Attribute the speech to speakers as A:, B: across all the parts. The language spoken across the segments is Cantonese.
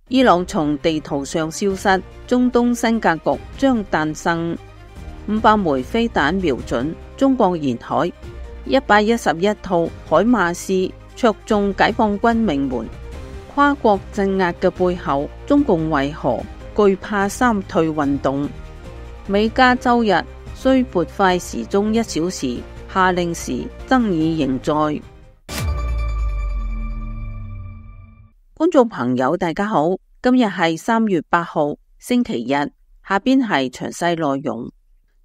A: 伊朗從地圖上消失，中東新格局將誕生。500枚飛彈瞄準中國沿海，111套海馬斯戳中解放軍命門。跨國鎮壓嘅背後，中共為何懼怕三退運動？美加周日雖撥快時鐘1小時，下令時爭議仍在。觀眾朋友大家好，今日係3月8號星期日，下邊係詳細內容。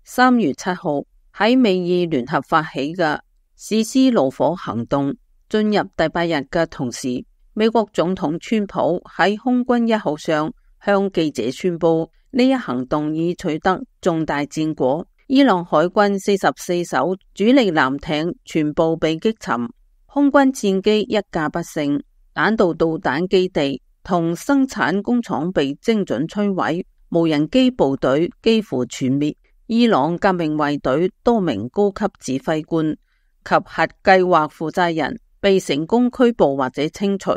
A: 3月7號喺美伊聯合發起嘅史詩怒火行動進入第8日嘅同時，美國總統川普喺空軍1號上向記者宣布，呢一行動已取得重大戰果。伊朗海軍44艘主力艦艇全部被擊沉，空軍戰機1架不勝，彈道導彈基地同生產工廠被精準摧毀，無人機部隊幾乎全滅。伊朗革命衛隊多名高級指揮官及核計劃負責人被成功拘捕或者清除。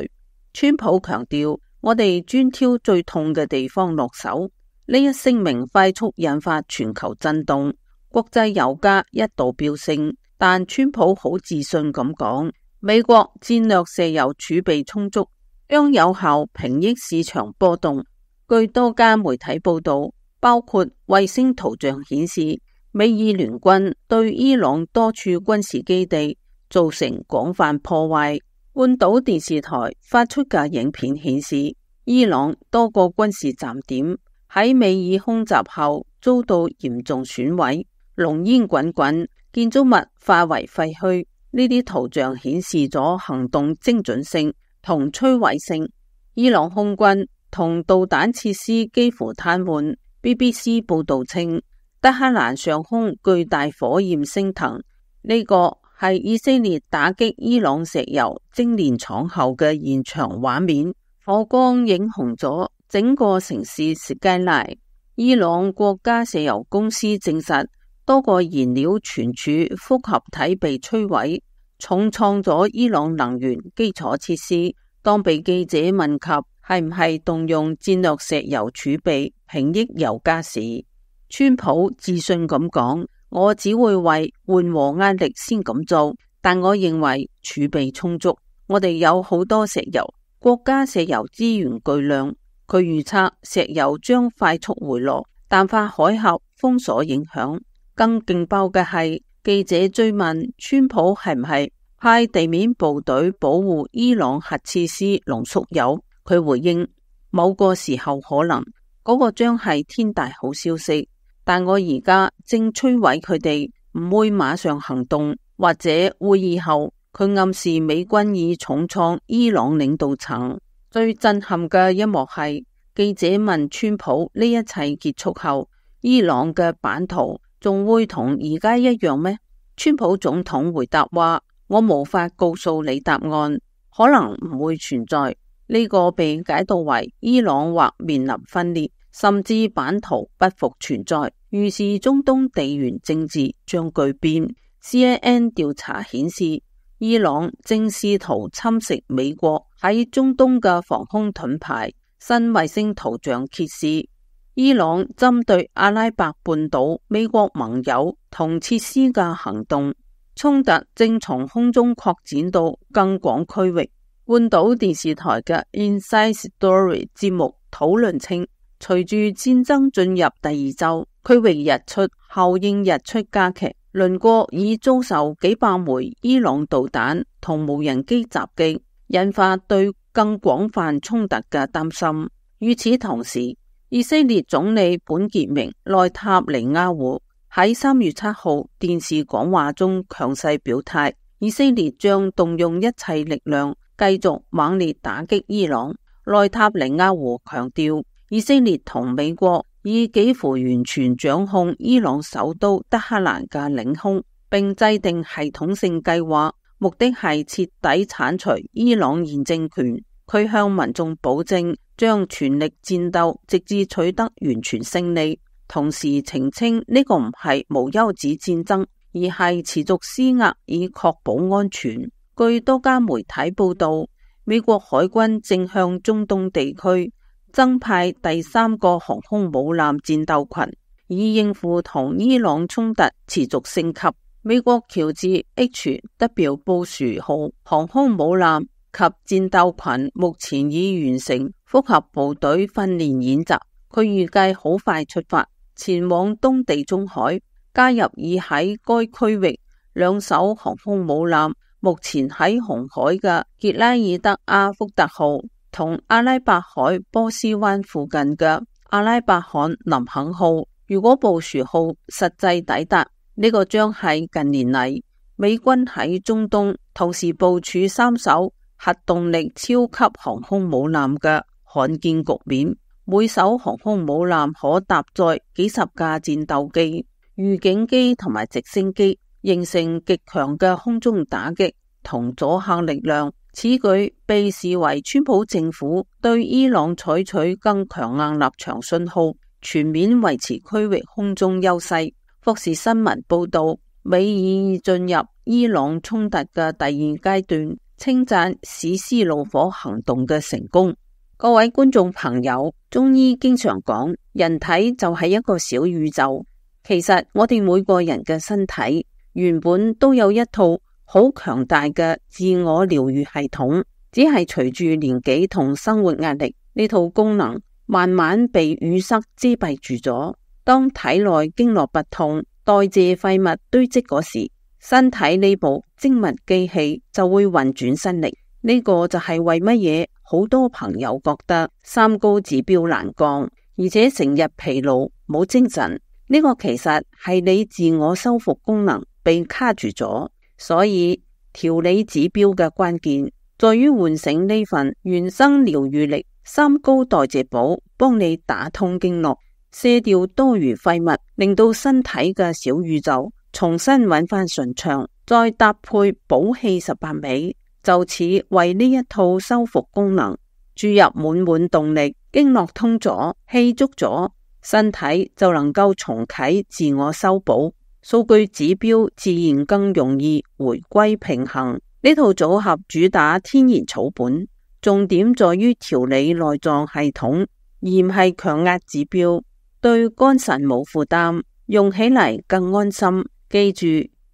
A: 川普強調，我哋專挑最痛嘅地方落手。呢一聲明快速引發全球震動，國際油價一度飆升，但川普好自信咁講，美國戰略石油儲備充足，將有效平抑市場波動。據多家媒體報道，包括衛星圖像顯示，美伊聯軍對伊朗多處軍事基地造成廣泛破壞。半島電視台發出嘅影片顯示，伊朗多個軍事站點喺美伊空襲後遭到嚴重損毀，濃煙滾滾，建築物化為廢墟。呢啲圖像顯示咗行動精準性同摧毀性。伊朗空軍同導彈設施幾乎癱瘓。BBC 報道稱，德黑蘭上空巨大火焰升騰，呢個係以色列打擊伊朗石油精煉廠後嘅現場畫面，火光映紅咗整個城市斯蓋萊。伊朗國家石油公司證實，多個燃料存儲複合體被摧毀，重創咗伊朗能源基礎設施。當被記者問及係唔係動用戰略石油儲備平抑油價時，川普自信咁講，我只會為緩和壓力先咁做，但我認為儲備充足，我哋有好多石油，國家石油資源巨量。佢預測石油將快速回落，淡化海峽封鎖影響。更勁爆嘅係，記者追問川普係唔係派地面部隊保護伊朗核設施濃縮鈾，佢回應，某個時候可能，嗰個將係天大好消息，但我而家正摧毀佢哋，唔會馬上行動，或者會議後。佢暗示美軍已重創伊朗領導層。最震撼嘅一幕係，記者問川普呢一切結束後，伊朗嘅版圖仲會同而家一樣咩？川普總統回答話，我無法告訴你答案，可能唔會存在。呢個被解讀為伊朗或面臨分裂，甚至版圖不復存在，預示中東地緣政治將巨變。CNN 調查顯示，伊朗正試圖侵蝕美國喺中東嘅防空盾牌。新衛星圖像揭示，伊朗針對阿拉伯半島美國盟友同設施嘅行動，衝突正從空中擴展到更廣區域。半島電視台嘅 Inside Story 節目討論稱，隨住戰爭進入第2週，區域日出效應日出加劇，鄰國已遭受幾百枚伊朗導彈同無人機襲擊，引發對更廣泛衝突嘅擔心。與此同時，以色列總理本傑明內塔尼亞胡喺3月7號電視講話中強勢表態，以色列將動用一切力量繼續猛烈打擊伊朗。內塔尼亞胡強調，以色列同美國已幾乎完全掌控伊朗首都德黑蘭嘅領空，並制定系統性計劃，目的係徹底鏟除伊朗現政權。佢向民眾保證，將全力戰鬥，直至取得完全勝利。同時澄清呢個唔係無休止戰爭，而係持續施壓以確保安全。據多家媒體報道，美國海軍正向中東地區增派第三個航空母艦戰鬥群，以應付同伊朗衝突持續升級。美國喬治 H.W. 布殊號航空母艦及戰鬥群目前已完成複合部隊訓練演習，佢預計好快出發前往東地中海，加入已喺該區域兩艘航空母艦目前喺紅海嘅傑拉爾德阿福特號同阿拉伯海波斯灣附近嘅阿拉伯罕林肯號。如果布殊號實際抵達，呢個將係近年嚟美軍喺中東同時部署三艘核動力超級航空母艦嘅罕見局面。每艘航空母艦可搭載幾十架戰鬥機、預警機同埋直升機，形成極強嘅空中打擊同阻嚇力量。此舉被視為川普政府對伊朗採取更強硬立場信號，全面維持區域空中優勢。福士新聞報道，美已進入伊朗衝突嘅第二階段，稱讚史詩怒火行動嘅成功。各位觀眾朋友，中醫經常講，人體就係一個小宇宙。其實我哋每個人嘅身體原本都有一套好強大嘅自我療愈系統，只係隨住年紀同生活壓力，呢套功能慢慢被淤塞遮蔽住咗。當體內經絡不通、代謝廢物堆積嗰時，身體呢部精密機器就會運轉失力。呢個就係為乜嘢好多朋友覺得三高指標難降，而且成日疲勞冇精神。呢個其實係你自我修復功能被卡住咗。所以調理指標嘅關鍵在於喚醒呢份原生療愈力。三高代謝寶幫你打通經絡，卸掉多餘廢物，令到身體嘅小宇宙重新揾翻順暢，再搭配補氣18味，就此為呢一套修復功能注入滿動力。經絡通咗，氣足咗，身體就能夠重啟自我修補，數據指標自然更容易回歸平衡。呢套組合主打天然草本，重點在於調理內臟系統，而唔係強壓指標，對肝腎冇負擔，用起嚟更安心。記住，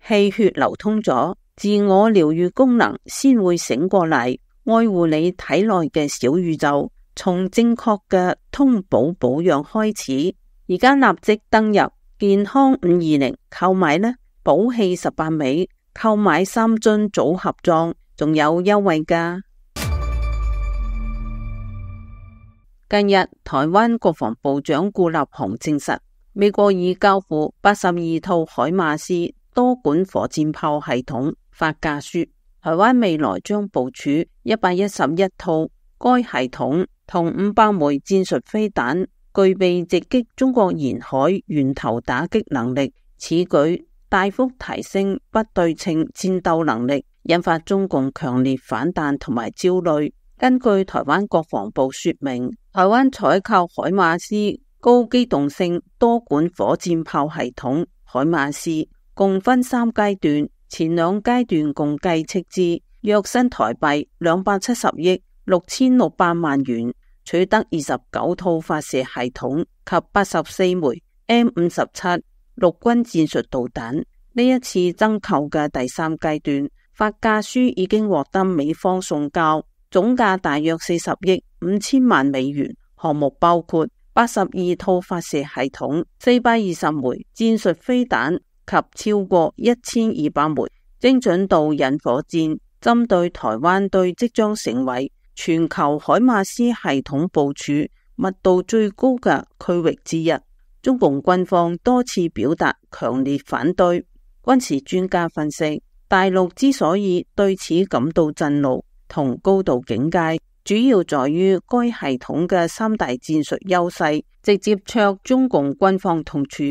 A: 氣血流通咗，自我療愈功能先會醒過嚟，愛護你體內嘅小宇宙。從正確嘅通補保養開始，而家立即登入健康520購買呢，補氣18味，購買3樽組合裝，仲有優惠㗎。近日，台灣國防部長顧立雄證實，美國已交付82套海馬斯多管火箭炮系統發價書，台灣未來將部署111套該系統同500枚戰術飛彈，具備直擊中國沿海源頭打擊能力。此舉大幅提升不對稱戰鬥能力，引發中共強烈反彈同埋焦慮。根據台灣國防部說明，台灣採購海馬斯高機動性多管火箭炮系統海馬斯共分3階段，前2階段共計斥資約新台幣270億6600萬元，取得29套發射系統及84枚 M57 陸軍戰術導彈。呢一次增購嘅第3階段發價書已經獲得美方送交，總價大約40億5000萬美元。項目包括82套發射系統、420枚戰術飛彈及超過1200枚精準導引火箭，針對台灣對即將成為全球海馬斯系統部署密度最高嘅區域之一，中共軍方多次表達強烈反對。軍事專家分析，大陸之所以對此感到震怒同高度警戒，主要在於該系統嘅3大戰術優勢直接戳中共軍方痛處，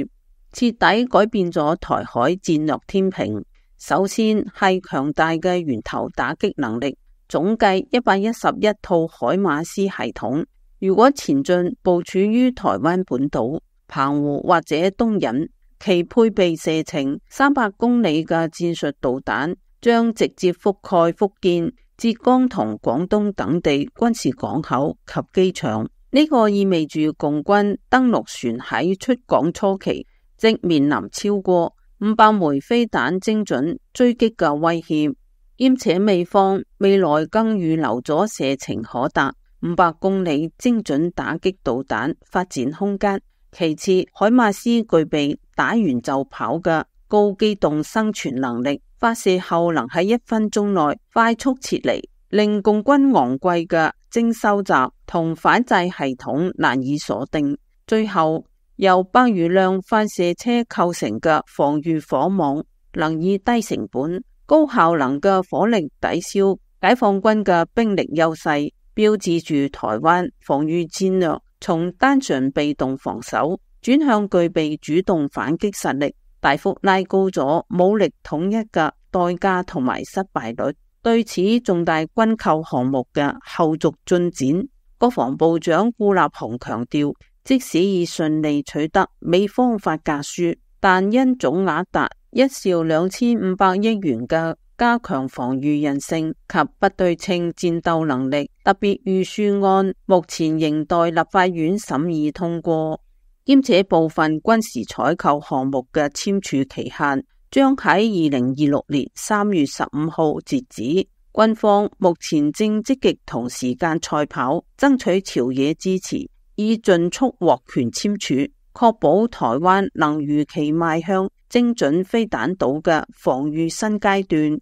A: 徹底改變咗台海戰略天平。首先係強大嘅源頭打擊能力，總計111套海馬斯系統，如果前進部署於台灣本島、澎湖或者東引，其配備射程300公里嘅戰術導彈，將直接覆蓋福建、浙江同廣東等地軍事港口及機場，呢個意味住共軍登陸船喺出港初期即面臨超過500枚飛彈精準追擊嘅威脅，兼且美方未來更預留咗射程可達500公里精準打擊導彈發展空間。其次，海馬斯具備打完就跑嘅高機動生存能力，發射後能喺1分鐘內快速撤離，令共軍昂貴嘅偵收集同反制系統難以鎖定。最後，由百餘輛發射車構成嘅防禦火網，能以低成本、高效能嘅火力抵消解放軍嘅兵力優勢，標誌住台灣防禦戰略從單純被動防守轉向具備主動反擊實力，大幅拉高咗武力統一嘅代價同埋失敗率。對此重大軍購項目嘅後續進展，國防部長顧立雄強調，即使已順利取得美方發價書，但因總額達1兆2500億元嘅加強防禦韌性及不對稱戰鬥能力特別預算案，目前仍待立法院審議通過，兼且部分軍事採購項目嘅簽署期限將喺2026年3月15號截止。軍方目前正積極同時間賽跑，爭取朝野支持，以盡速獲權簽署，確保台灣能如期邁向精準飛彈島嘅防禦新階段。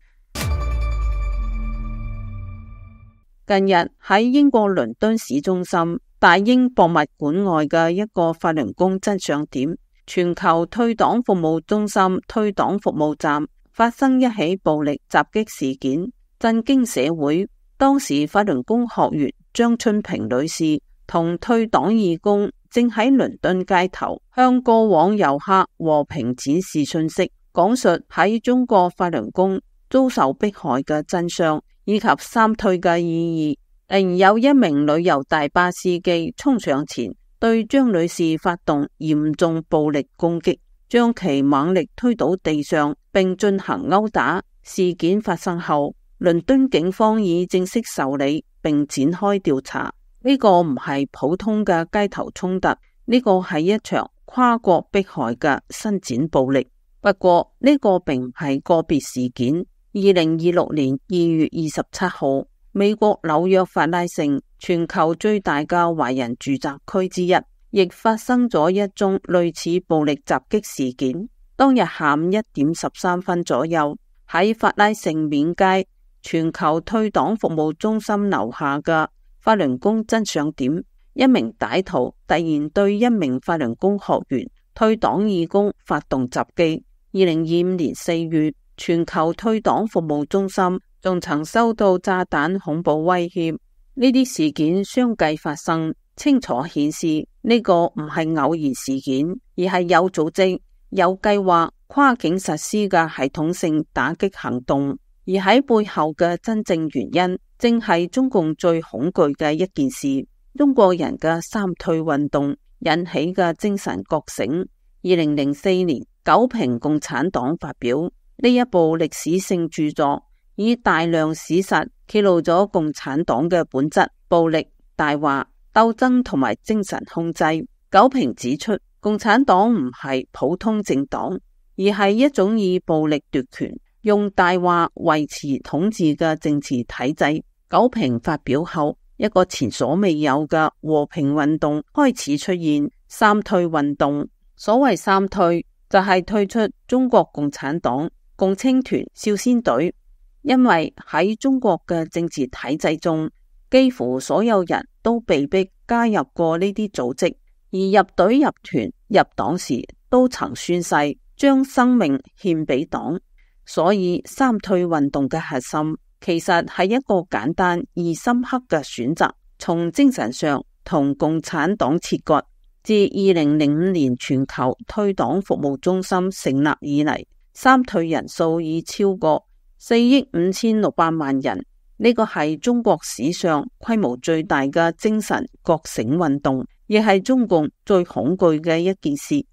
A: 近日喺英國倫敦市中心大英博物館外嘅一個法輪功真相點全球退黨服務中心退黨服務站發生一起暴力襲擊事件，震驚社會。當時法輪功學員張春平女士同退黨義工正喺倫敦街頭向過往遊客和平展示信息，講述喺中國法輪功遭受迫害嘅真相以及三退嘅意義。突然有一名旅遊大巴司機衝上前，對張女士發動嚴重暴力攻擊，將其猛力推倒地上，並進行毆打。事件發生後，倫敦警方已正式受理並展開調查。呢個唔係普通嘅街頭衝突，呢個係一場跨國迫害嘅伸展暴力。不過呢個並唔係個別事件。2026年2月27號，美國紐約法拉盛，全球最大嘅華人住宅區之一，亦發生咗一宗類似暴力襲擊事件。當日下午1點13分左右，喺法拉盛面街全球退黨服務中心樓下嘅法輪功真相點，一名歹徒突然對一名法輪功學員退黨義工發動襲擊。2025年4月，全球退黨服務中心仲曾收到炸彈恐怖威脅。呢啲事件相繼發生，清楚顯示呢個唔係偶然事件，而係有組織、有計劃、跨境實施嘅系統性打擊行動。而喺背後嘅真正原因，正係中共最恐懼嘅一件事：中國人嘅三退運動引起嘅精神覺醒。2004年，九平共產黨發表呢一部歷史性著作，以大量史實揭露咗共產黨嘅本質：暴力、大話、鬥爭同埋精神控制。九平指出，共產黨唔係普通政黨，而係一種以暴力奪權、用大話維持統治嘅政治體制。九平發表後，一個前所未有嘅和平運動開始出現——三退運動。所謂三退，就係退出中國共產黨、共青團、少先隊。因為喺中國嘅政治體制中，幾乎所有人都被迫加入過呢啲組織，而入隊、入團、入黨時都曾宣誓將生命獻俾黨。所以三退運動嘅核心其實係一個簡單而深刻嘅選擇，從精神上同共產黨切割。自2005年全球退黨服務中心成立以嚟，三退人數已超過4億5600萬人。呢個係中國史上規模最大嘅精神覺醒運動，亦係中共最恐懼嘅一件事。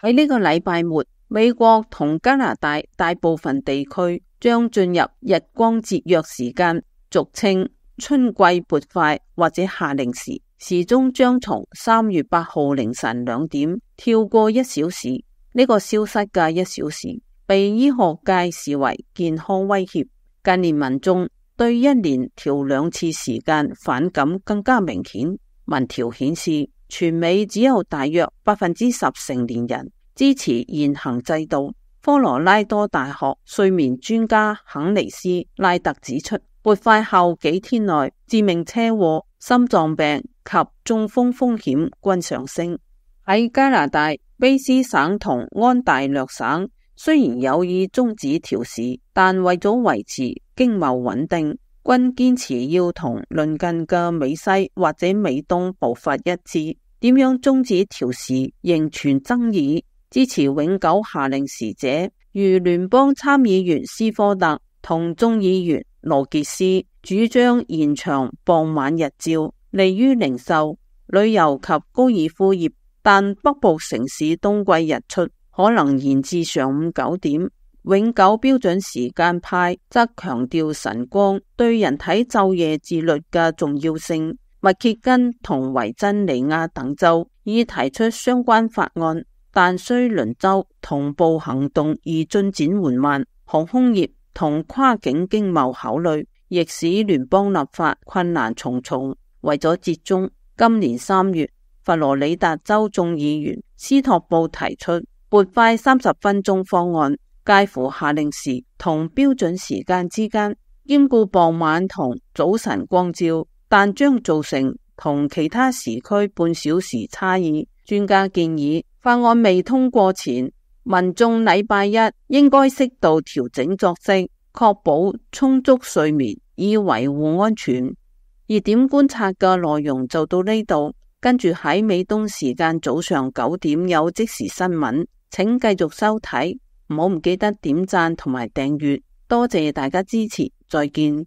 A: 喺呢個禮拜末，美國同加拿大大部分地區將進入日光節約時間，俗稱春季撥快或者夏令時，時鐘將從3月8號凌晨2點跳過1小時。呢個消失嘅1小時，被醫學界視為健康威脅。近年民眾對1年調2次時間反感更加明顯。民調顯示，全美只有大約10%成年人支持現行制度。科羅拉多大學睡眠專家肯尼斯拉特指出，撥快後幾天內，致命車禍、心臟病及中風風險均上升。喺加拿大卑斯省同安大略省，雖然有意終止調市，但為咗維持經貿穩定，均堅持要同鄰近嘅美西或者美東步伐一致。點樣終止調市仍存爭議。支持永久夏令時者如聯邦參議員斯科特同眾議員羅傑斯，主張延長傍晚日照，利於零售、旅遊及高爾夫業，但北部城市冬季日出可能延至上午9點。永久標準時間派則強調晨光對人體晝夜自律嘅重要性。密歇根同維珍尼亞等州已提出相關法案，但需鄰州同步行動而進展緩慢。航空業同跨境經貿考慮，亦使聯邦立法困難重重。為咗折中，今年3月，佛羅里達州眾議員斯托布提出撥快30分鐘方案，介乎夏令時同標準時間之間，兼顧傍晚同早晨光照，但將造成同其他時區半小時差異。專家建議，法案未通過前，民眾禮拜一應該適度調整作息，確保充足睡眠，以維護安全。熱點觀察嘅內容就到呢度，跟住喺美東時間早上9點有即時新聞，請繼續收睇，唔記得點讚同埋訂閱，多謝大家支持，再見。